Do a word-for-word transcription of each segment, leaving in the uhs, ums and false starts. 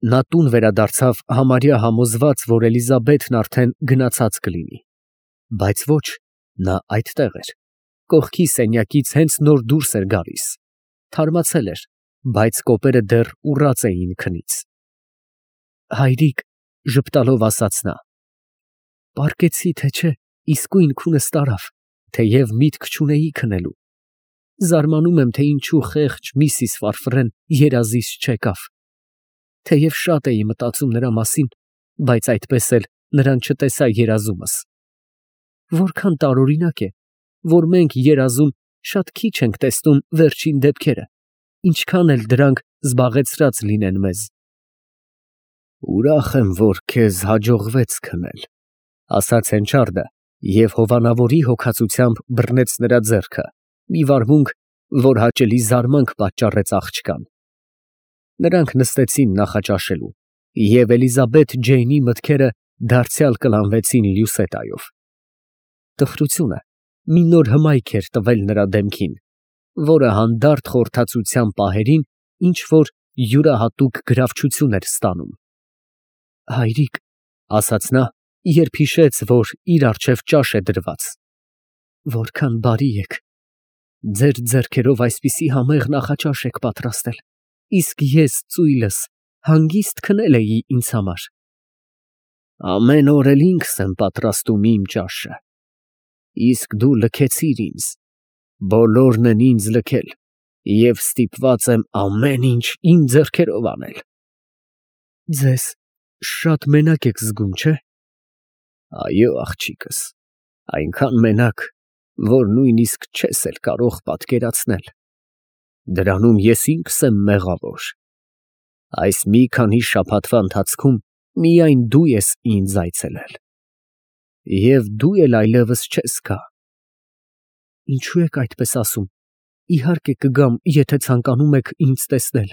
Նա տուն վերադարձավ համարյա համոզված, որ Էլիզաբեթն արդեն գնացած կլինի, բայց ոչ, նա այդտեղ էր, կողքի սենյակից հենց նոր դուրս էր գալիս, թարմացել էր, բայց կոպերը դեռ ուռած էին քնից։ Հայրիկ, ժպտալով ասաց նա, պառկեցի, թե չէ, իսկույն քունս տարավ, թեև միտք չունեի քնելու։ Զարմանում եմ, թե ինչու խեղճ միսիս Ֆարֆրեն երազից չեկավ։ Թեև շատ էի մտածում նրա մասին, բայց այդպես էլ նրան չտեսա երազումս։ Որքան տարօրինակ է, որ մենք երազում շատ քիչ ենք տեսնում վերջին դեպքերը, ինչքան էլ դրանք զբաղեցրած լինեն մեզ։ Ուրախ եմ, որ քեզ հաջողվեց քնել, ասաց Հենչարդը և հովանավորի հոգացությամբ բռնեց նրա ձեռքը, մի վարմունք, որ հաճելի զարմանք պատճառեց աղջկան։ Նրանք նստեցին նախաճաշելու, և Էլիզաբեթ Ջեյնի մտքերը դարձյալ կլանվեցին Լյուսետայով։ Տխրությունը մի նոր հմայք էր տվել նրա դեմքին, որը հանդարտ խորհրդածության պահերին ինչ֊որ յուրահատուկ գրավչություն էր ստանում։ Հայրիկ, ասաց նա, երբ հիշեց, որ իր առջև ճաշ է դրված, որքան բարի եք, ձեր ձեռքերով այսպիսի համեղ նախաճաշ եք պատրաստել, իսկ ես ծույլս հանգիստ քնել էի ինձ համար։ Ամեն օր էլ ինքս եմ պատրաստում իմ ճաշը, իսկ դու լքեցիր ինձ, բոլորն են ինձ լքել, և ստիպված եմ ամեն ինչ իմ ձեռքերով անել։ Ձեզ շատ մենակ եք զգում, չէ՞։ Այո, աղջիկս, այնքան մենակ, որ նույնիսկ չես էլ կարող պատկերացնել։ Դրանում ես ինքս եմ մեղավոր։ Այս մի քանի շաբաթվա ընթացքում միայն դու ես ինձ այցելել, և դու էլ այլևս չես գա։ Ինչո՞ւ եք այդպես ասում, իհարկե կգամ, եթե ցանկանում եք ինձ տեսնել։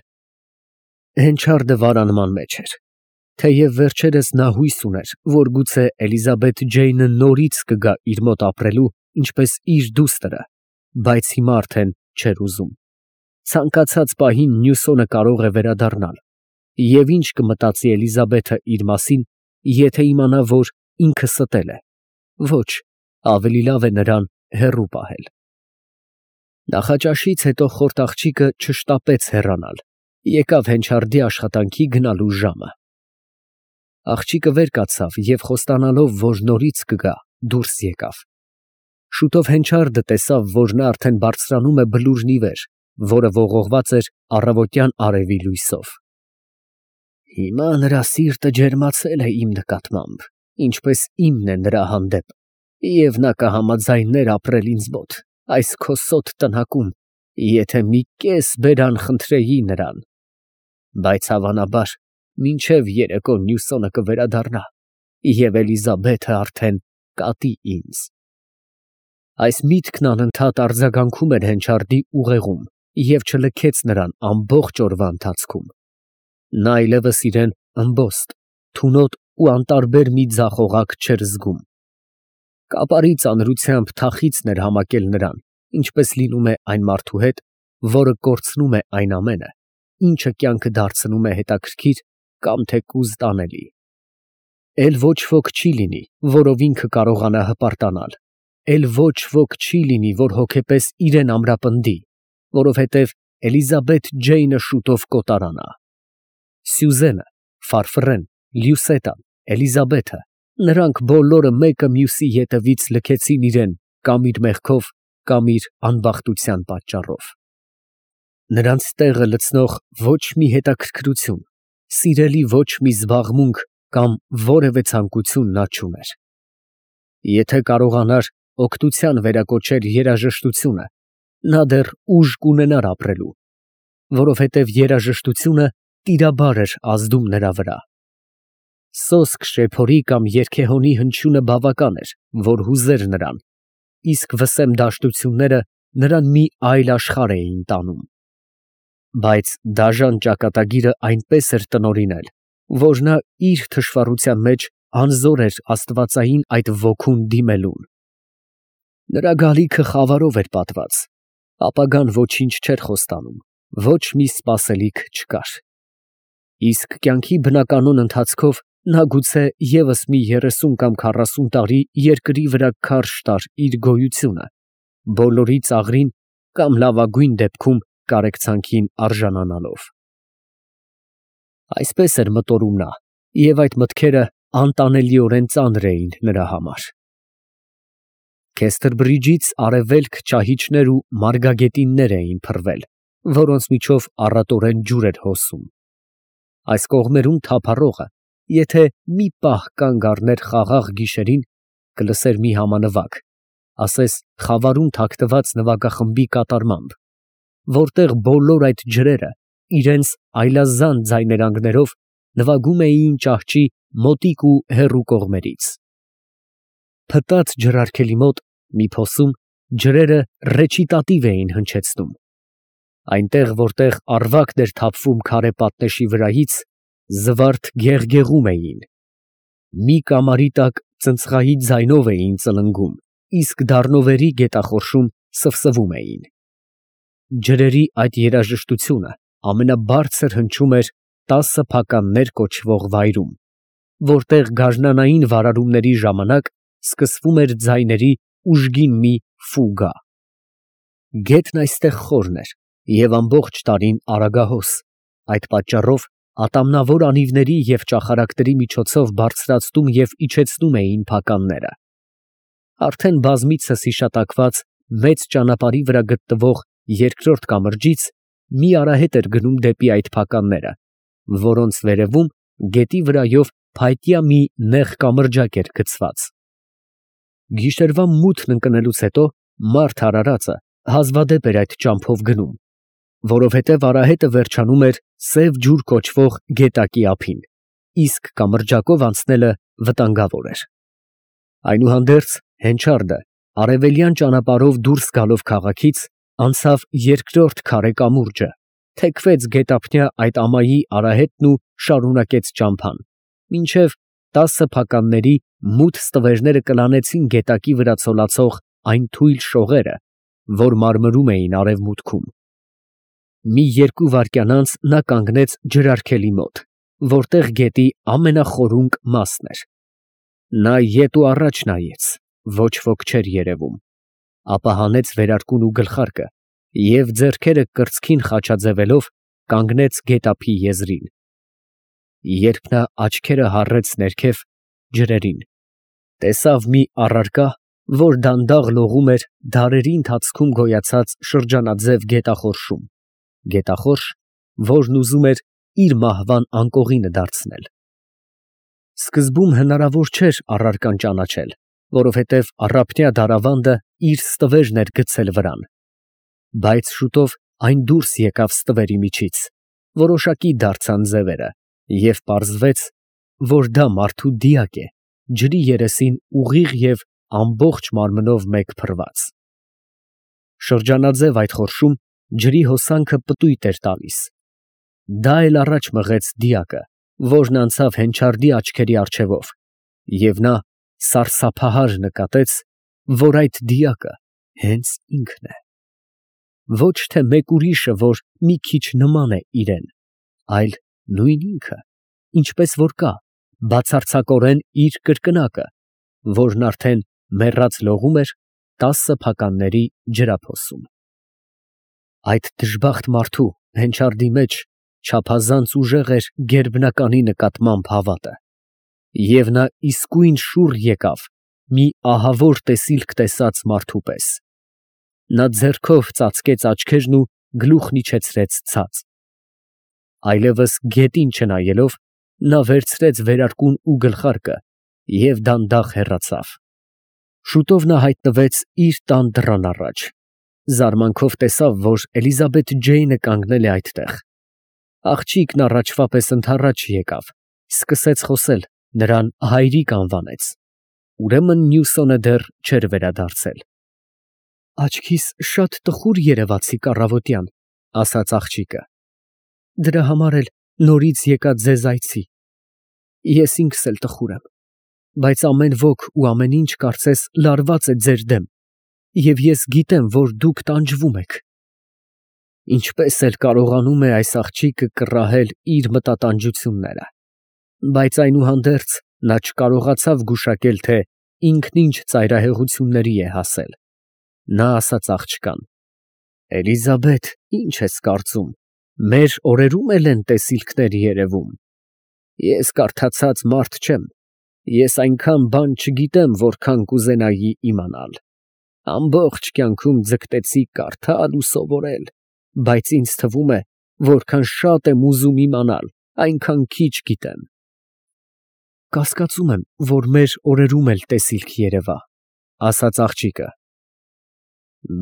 Հենչարդը վարանման մեջ էր, թեև վերջերս նա հույս ուներ, որ գուցե Էլիզաբեթ Ջեյնը նորից կգա իր մոտ ապրելու, ինչպես իր դուստրը, բայց հիմա արդեն չէր ուզում։ Ցանկացած պահին Նյուսոնը կարող է վերադառնալ, և ինչ կմտածի Էլիզաբեթը իր մասին, եթե իմանա, որ ինքը ստել է։ Ոչ, ավելի լավ է նրան հեռու պահել։ Նախաճաշից հետո խորտ աղջիկը չշտապեց հեռանալ, եկավ Հենչարդի աշխատանքի գնալու ժամը։ Աղջիկը վեր կացավ և խոստանալով, որ նորից կգա, դուրս եկավ։ Շուտով Հենչարդը տեսավ, որ նա արդեն բարձրանում է բլուրն ի վեր, որը ողողված էր առավոտյան արևի լույսով։ Հիմա նրա սիրտը ջերմացել է իմ նկատմամբ, ինչպես իմն է նրա հանդեպ, և նա կհամաձայներ ապրել ինձ մոտ, այս քո սոտ տնակում, եթե մի կես բերան խնդրեի նրան։ Բայց հավանաբար մինչև երեկո Նյուսոնը կվերադառնա, և Էլիզաբեթը արդեն կատի ինձ։ Այս միտքն անընդհատ արձագանքում էր Հենչարդի ուղեղում և չլքեց նրան ամբողջ օրվա ընթացքում։ Նա այլևս իրեն ըմբոստ, թունոտ ու անտարբեր մի ձախողակ չէր զգում։ Կապարի ծանրությամբ թախիծն էր համակել նրան, ինչպես լինում է այն մարդու հետ, որը կորցնում է այն ամենը, ինչը կյանքը դարձնում է հետաքրքիր կամ թեկուզ տանելի։ Էլ ոչ ոք չի լինի, որով ինքը կարողանա հպարտանալ, էլ ոչ ոք չի լինի, որ հոգեպես իրեն ամրապնդի, որովհետև Էլիզաբեթ Ջեյնը շուտով կոտարանա։ Սյուզենը, Ֆարֆռեն, Լյուսետան, Էլիզաբեթը, նրանք բոլորը մեկը մյուսի ետևից լքեցին իրեն կամ իր մեղքով, կամ իր անբախտության պատճառով։ Նրանց տեղը լցնող ոչ մի հետաքրքրություն, սիրելի ոչ մի զբաղմունք կամ որևէ ցանկություն նա չուներ։ Եթե կարողանար օգնության վերակոչել երաժշտությունը, նա դեռ ուժ կունենար ապրելու, որովհետև երաժշտությունը տիրաբար էր ազդում նրա վրա։ Սոսկ շեփորի կամ երգեհոնի հնչյունը բավական էր, որ հուզեր նրան, իսկ վսեմ դաշտությունները նրան մի այլ աշխարհ էին տանում։ Բայց դաժան ճակատագիրը այնպես էր տնօրինել, որ նա իր թշվառության մեջ անզոր էր աստվածային այդ ոգուն դիմելուն։ Նրա գալիքը խավարով էր պատված, ապագան ոչինչ չէր խոստանում, ոչ մի սպասելիք չկար։ Իսկ կյանքի բնականոն ընթացքով նա գուցե ևս մի երեսուն կամ քառասուն տարի երկրի վրա քարշ տար իր գոյությունը, բոլորի ծաղրին կամ լավագույն դեպքում կարեկցանքին արժանանալով։ Այսպես էր մտորում նա, և այդ մտքերը անտանելիորեն ծանր էին նրա համար։ Քեսթերբրիջից արևելք ճահիճներ ու մարգագետիններ էին փռվել, որոնց միջով առատորեն ջուր էր հոսում։ Այս կողմերում թափառողը, եթե մի պահ կանգ առներ խաղաղ գիշերին, կլսեր մի համանվագ, ասես խավարում թաքնված նվագախմբի կատարմամբ, որտեղ բոլոր այդ ջրերը իրենց այլազան ձայներանգներով նվագում էին ճահճի մոտիկ ու հեռու կողմերից։ Փտած ջրարգելի մոտ մի փոսում ջրերը ռեչիտատիվ էին հնչեցնում։ Այնտեղ, որտեղ առվակն էր թափվում քարե պատնեշի վրայից, զվարթ գեղգեղում էին։ Մի կամարի տակ ծնծղայի ձայնով էին ծլնգում, իսկ դառնովերի գետախորշում սվսվում էին։ Ջրերի այդ երաժշտությունը ամենաբարձր հնչում էր տասը փականներ կոչվող վայրում, որտեղ գարնանային վարարումների ժամանակ սկսվում էր ձայների ուժգին մի ֆուգա։ Գետն այստեղ խորն էր և ամբողջ տարին արագահոս, այդ պատճառով ատամնավոր անիվների և ճախարակների միջոցով բարձրացնում և իջեցնում էին փականները։ Արդեն բազմիցս հիշատակված մեծ ճանապարհի վրա գտնվող երկրորդ կամրջից մի արահետ էր գնում դեպի այդ փականները, որոնց վերևում գետի վրայով փայտյա մի նեղ կամրջակ էր գցված։ Գիշերվա մութն ընկնելուց հետո մարդ արարածը հազվադեպ էր այդ ճամփով գնում, որովհետև արահետը վերջանում էր Սև ջուր կոչվող գետակի ափին, իսկ կամրջակով անցնելը վտանգավոր էր։ Այնուհանդերձ հենչարդը արևելյան ճանապարհով դուրս գալով քաղաքից անցավ երկրորդ քարե կամուրջը, թեքվեց գետափնյա այդ ամայի արահետն ու շարունակեց ճամփան, մինչև տասը փականների մութ ստվերները կլանեցին գետակի վրա ցոլացող այն թույլ շողերը, որ մարմրում էին արևմուտքում։ Մի երկու վայրկյան անց նա կանգնեց ջրարգելի մոտ, որտեղ գետի ամենախորունկ մասն էր։ Նա ետ ու առաջ նայեց, ոչ ոք չէր երևում, ապա հանեց վերարկուն ու գլխարկը և ձեռքերը կրծքին խաչաձևելով կանգնեց գետափի եզրին։ Երբ նա աչքերը հառեց ներքև ջրերին, տեսավ մի առարկա, որ դանդաղ լողում էր դարերի ընթացքում գոյացած շրջանաձև գետախորշում, գետախորշ, որն ուզում էր իր մահվան անկողինը դարձնել։ Սկզբում հնարավոր չէր առարկան ճանաչել, որովհետև առափնյա դարավանդը իր ստվերն էր գցել վրան, բայց շուտով այն դուրս եկավ ստվերի միջից, որոշակի դարձան ձևերը, և պարզվեց, որ դա մարդու դիակ է, ջրի երեսին ուղիղ և ամբողջ մարմնով մեկ փռված։ Շրջանաձև այդ խորշում ջրի հոսանքը պտույտ էր տալիս։ Դա էլ առաջ մղեց դիակը, որն անցավ հենչարդի աչքերի առջևով, և նա սարսափահար նկատեց, որ այդ դիակը հենց ինքն է։ Ոչ թե մեկ ուրիշը, որ մի քիչ նման է իրան, այլ նույն ինքը, ինչպես որ կա, բացարձակորեն իր կրկնակը, որն արդեն մեռած լողում էր տասը փականների ջրափոսում։ Այդ դժբախտ մարդու հենչարդի մեջ չափազանց ուժեղ էր գերբնականի նկատմամբ հավատը, և նա իսկույն շուռ եկավ մի ահավոր տեսիլք տեսած մարդու պես։ Նա ձեռքով ծածկեց աչքերն ու գլուխն իջեցրեց ցած։ Այլևս գետին չնայելով, նա վերցրեց վերարկուն ու գլխարկը և դանդաղ հեռացավ։ Շուտով նա հայտնվեց իր տան դռան առաջ, զարմանքով տեսավ, որ Էլիզաբեթ Ջեյնը կանգնել է այդտեղ։ Աղջիկն առաջվա պես ընդառաջ եկավ, սկսեց խոսել, նրան հայրիկ անվանեց։ Ուրեմն Նյուսոնը դեռ չէր վերադարձել։ Աչքիս շատ տխուր երևացիք առավոտյան, ասաց աղջիկը։ Դրա համար էլ նորից եկա ձեզ այցի։ Ես ինքս էլ տխուր եմ, բայց ամեն ոք ու ամեն ինչ կարծես լարված է ձեր դեմ, և ես գիտեմ, որ դուք տանջվում եք։ Ինչպես էլ կարողանում է այս աղջիկը կռահել իր մտատանջությունները, բայց այնուհանդերձ նա չկարողացավ գուշակել, թե ինքն ինչ ծայրահեղությունների է հասել։ Նա ասաց աղջկան. «Էլիզաբեթ, ի՞նչ ես կարծում, մեր օրերում էլ են տեսիլքներ երևում։ Ես կարդացած մարդ չեմ, ես այնքան բան չգիտեմ, որքան կուզենայի իմանալ։ Ամբողջ կյանքում ձգտեցի կարդալ ու սովորել, բայց ինձ թվում է, որքան շատ եմ ուզում իմանալ, այնքան քիչ գիտեմ»։ Կասկածում եմ, որ մեր օրերում էլ տեսիլք երևա, ասաց աղջիկը։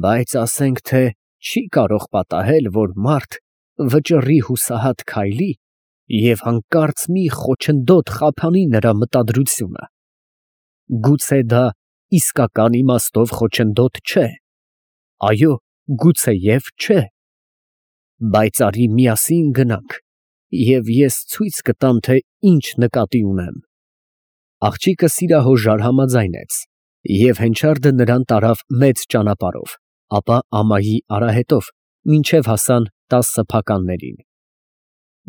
Բայց ասենք, թե չի կարող պատահել, որ մարդ վճռի հուսահատ քայլի և հանկարծ մի խոչընդոտ խափանի նրա մտադրությունը։ Գուցե դա իսկական իմաստով խոչընդոտ չէ։ Այո, գուցեև չէ։ Բայց արի միասին գնանք, և ես ցույց կտամ, թե ինչ նկատի ունեմ։ Աղջիկը սիրահոժար համաձայնեց, և հենչարդը նրան տարավ մեծ ճանապարհով, ապա ամայի արահետով, մինչև հասան տասը փականներին։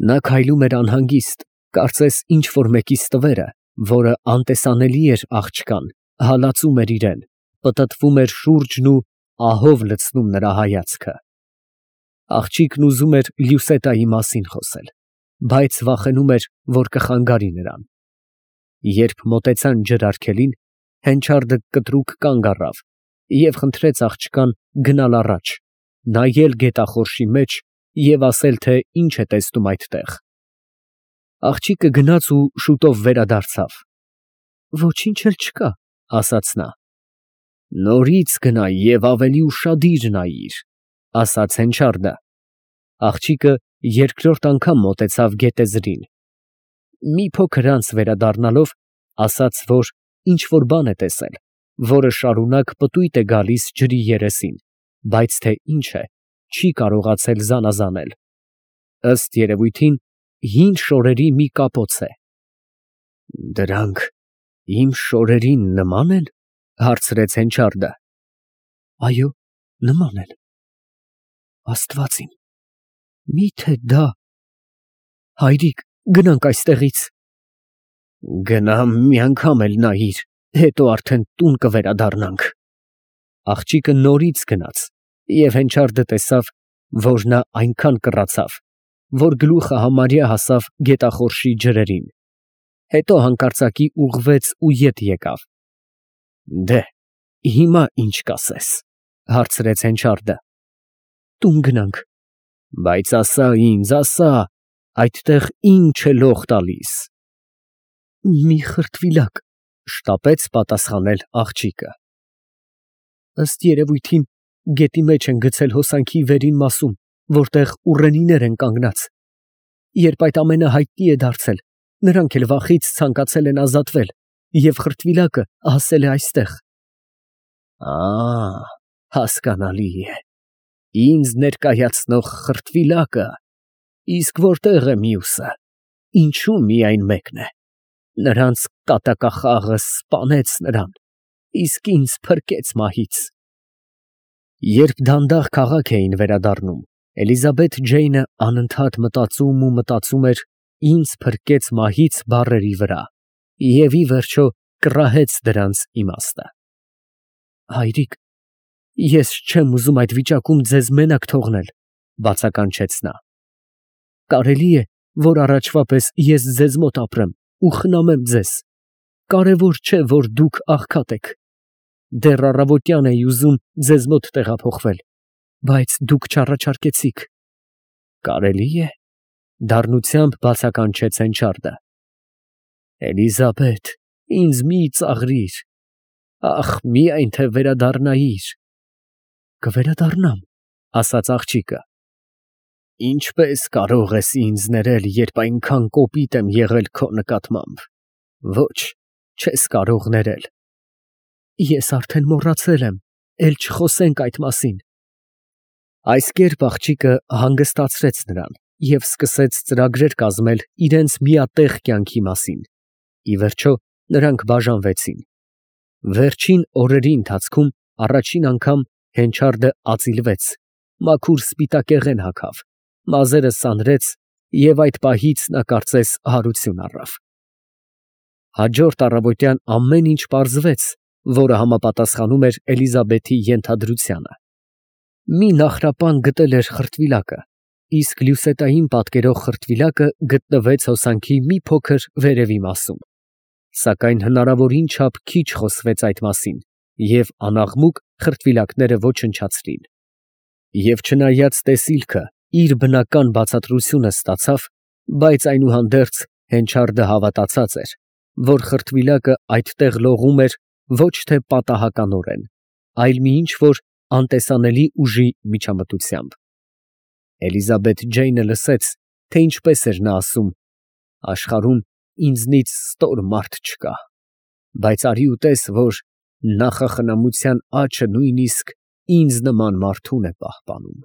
Նա քայլում էր անհանգիստ, կարծես ինչ֊որ մեկի ստվերը, որը անտեսանելի էր աղջկան, հալածում էր իրան, պտտվում էր շուրջն ու ահով լցնում նրա հայացքը։ Աղջիկն ուզում էր Լյուսետայի մասին խոսել, բայց վախենում էր, որ կխանգարի նրան։ Երբ մոտեցան ջրարգելին, հենչարդը կտրուկ կանգ առավ և խնդրեց աղջկան գնալ առաջ, նայել գետախորշի մեջ և ասել, թե ինչ է տեսնում այդտեղ։ Աղջիկը գնաց ու շուտով վերադարձավ։ Ոչինչ էլ չկա, ասաց նա։ Նորից գնա և ավելի ուշադիր նայիր, ասաց հենչարդը։ Աղջիկը երկրորդ անգամ մոտեցավ գետեզրին։ Մի փոքր անց վերադառնալով, ասաց, որ ինչ֊որ բան է տեսել, որը շարունակ պտույտ է գալիս ջրի երեսին, բայց թե ինչ է, չի կարողացել զանազանել։ Ըստ երևույթին, հին շորերի մի կապոց է։ Դրանք իմ շորերին նման են, հարցրեց հենչարդը։ Այո, նման են։ Աստված իմ, մի՞թե դա… Հայրիկ, գնանք այստեղից։ Գնա մի անգամ էլ նայիր, հետո արդեն տուն կվերադառնանք։ Աղջիկը նորից գնաց, և հենչարդը տեսավ, որ նա այնքան կռացավ, որ գլուխը համարյա հասավ գետախորշի ջրերին, հետո հանկարծակի ուղղվեց ու ետ եկավ։ Դե, հիմա ի՞նչ կասես, հարցրեց հենչարդը։ Տուն գնանք։ Բայց ասա ինձ, ասա, այդտեղ ի՞նչ է լող տալիս։ Մի խրտվիլակ, շտապեց պատասխանել աղջիկը։ Ըստ երևույթին, գետի մեջ են գցել հոսանքի վերին մասում, որտեղ ուռենիներ են կանգնած։ Երբ այդ ամենը հայտնի է դարձել, նրանք էլ վախից ցանկացել են ազատվել, և խրտվիլակը հասել է այստեղ։ Ա, հասկանալի է, ինձ ներկայացնող խրտվիլակը, իսկ որտեղ է մյուսը, ինչու միայն մեկն է։ Նրանց կատակախաղը սպանեց նրան, իսկ ինձ փրկեց մահից։ Երբ դանդաղ քաղաք էին վերադառնում, Էլիզաբեթ Ջեյնը անընդհատ մտածում ու մտածում էր «ինձ փրկեց մահից» բառերի վրա և ի վերջո կռահեց դրանց իմաստը։ Հայրիկ, ես չեմ ուզում այդ վիճակում ձեզ մենակ թողնել, բացականչեց նա։ Կարելի է, որ առաջվա պես ես ձեզ մոտ ապրեմ ու խնամեմ ձեզ։ Կարևոր չէ, որ դուք աղքատ եք։ Դեռ առավոտյան էի ուզում ձեզ մոտ տեղափոխվել, բայց դուք չառաջարկեցիք։ Կարելի է, դառնությամբ բացականչեց հենչարդը։ Էլիզաբեթ, ինձ մի ծաղրիր, ախ, միայն թե վերադառնայիր։ Կվերադառնամ, ասաց աղջիկը։ Ինչպես կարող ես ինձ ներել, երբ այնքան կոպիտ եմ եղել քո նկատմամբ։ Ոչ, չես կարող ներել։ Ես արդեն մոռացել եմ, էլ չխոսենք այդ մասին։ Այս կերպ աղջիկը հանգստացրեց նրան և սկսեց ծրագրեր կազմել իրենց միատեղ կյանքի մասին։ Ի վերջո, նրանք բաժանվեցին։ Վերջին օրերի ընթացքում առաջին անգամ հենչարդը ածիլվեց, մաքուր սպիտակեղեն հագավ, մազերը սանրեց և այդ պահից նա կարծես հարություն առավ։ Հաջորդ առավոտյան ամեն ինչ պարզվեց, որը համապատասխանում էր Էլիզաբեթի ենթադրությանը։ Մի նախրապան գտել էր խրտվիլակը, իսկ լյուսետային պատկերող խրտվիլակը գտնվեց հոսանքի մի փոքր վերևի մասում, սակայն հնարավորին չափ քիչ խոսվեց այդ մասին, և անաղմուկ խրտվիլակները ոչնչացրին։ Եվ չնայած տեսիլքը իր բնական բացատրությունը ստացավ, բայց այնուհանդերձ Հենչարդը հավատացած էր, որ խրտվիլակը այդտեղ լողում էր ոչ թե պատահականորեն, այլ մի ինչ֊որ անտեսանելի ուժի միջամտությամբ։ Էլիզաբեթ Ջեյնը լսեց, թե ինչպես էր նա ասում. «Աշխարհում ինձնից ստոր մարդ չկա, բայց արի ու տես, որ նախախնամության աջը նույնիսկ ինձ նման մարդուն է պահպանում»։